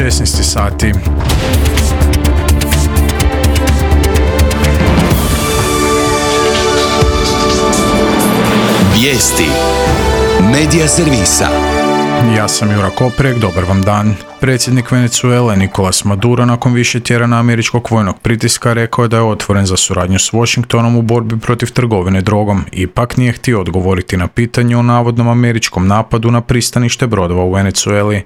16 sati. Vijesti Medija servisa. Ja sam Jura Koprek, dobar vam dan. Predsjednik Venezuele Nicolas Maduro nakon više tjedana američkog vojnog pritiska rekao je da je otvoren za suradnju s Washingtonom u borbi protiv trgovine drogom. Ipak nije htio odgovoriti na pitanje o navodnom američkom napadu na pristanište brodova u Venezueli.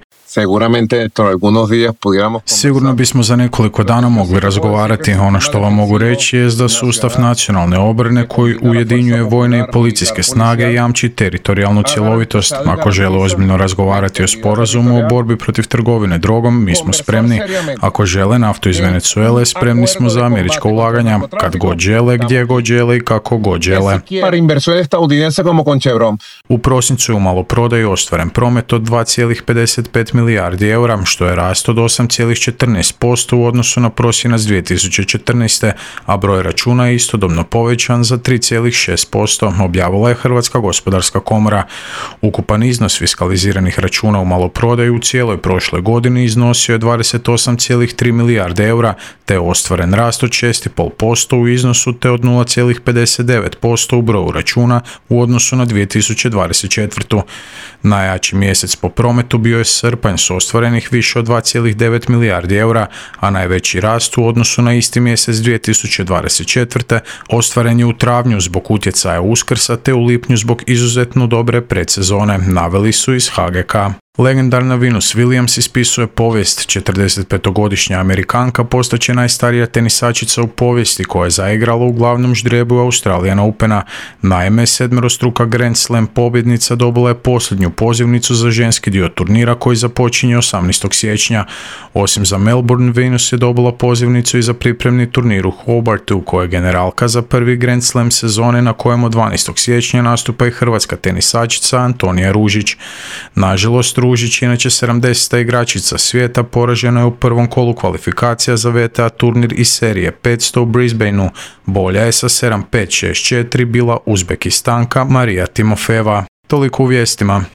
Sigurno bismo za nekoliko dana mogli razgovarati. Ono što vam mogu reći je da sustav nacionalne obrane koji ujedinjuje vojne i policijske snage jamči teritorijalnu cjelovitost. Ako žele ozbiljno razgovarati o sporazumu o borbi protiv trgovine drogom, mi smo spremni. Ako žele naftu iz Venezuele, spremni smo za američka ulaganja, kad god žele, gdje god žele i kako god žele. U prosincu je u maloprodaji ostvaren promet od 2,55 milijardi eura, što je rast od 8,14% u odnosu na prosinac 2014. a broj računa je istodobno povećan za 3,6%, objavila je Hrvatska gospodarska komora. Ukupan iznos fiskaliziranih računa u maloprodaji u cijeloj prošloj godini iznosio je 28,3 milijarde eura, te je ostvaren rast od 6,5% u iznosu te od 0,59% u broju računa u odnosu na 2024. Najjači mjesec po prometu bio je srpanj s ostvarenih više od 2,9 milijardi eura, a najveći rast u odnosu na isti mjesec 2024. ostvaren je u travnju zbog utjecaja Uskrsa te u lipnju zbog izuzetno dobre predsezone, naveli su iz HGK. Legendarna Venus Williams ispisuje povijest. 45-godišnja Amerikanka postaće najstarija tenisačica u povijesti koja je zaigrala u glavnom ždrijebu Australian Opena. Naime, sedmerostruka Grand Slam pobjednica dobila je posljednju pozivnicu za ženski dio turnira koji započinje 18. siječnja. Osim za Melbourne, Venus je dobila pozivnicu i za pripremni turnir u Hobartu, koja je generalka za prvi Grand Slam sezone na kojem od 12. siječnja nastupa i hrvatska tenisačica Antonija Ružić. Nažalost, Ružić, inače 70. igračica svijeta, poražena je u prvom kolu kvalifikacija za WTA turnir iz serije 500 u Brisbaneu. Bolja je sa 7-5, 6-4 bila Uzbekistanka Marija Timofejeva. Toliko u vijestima.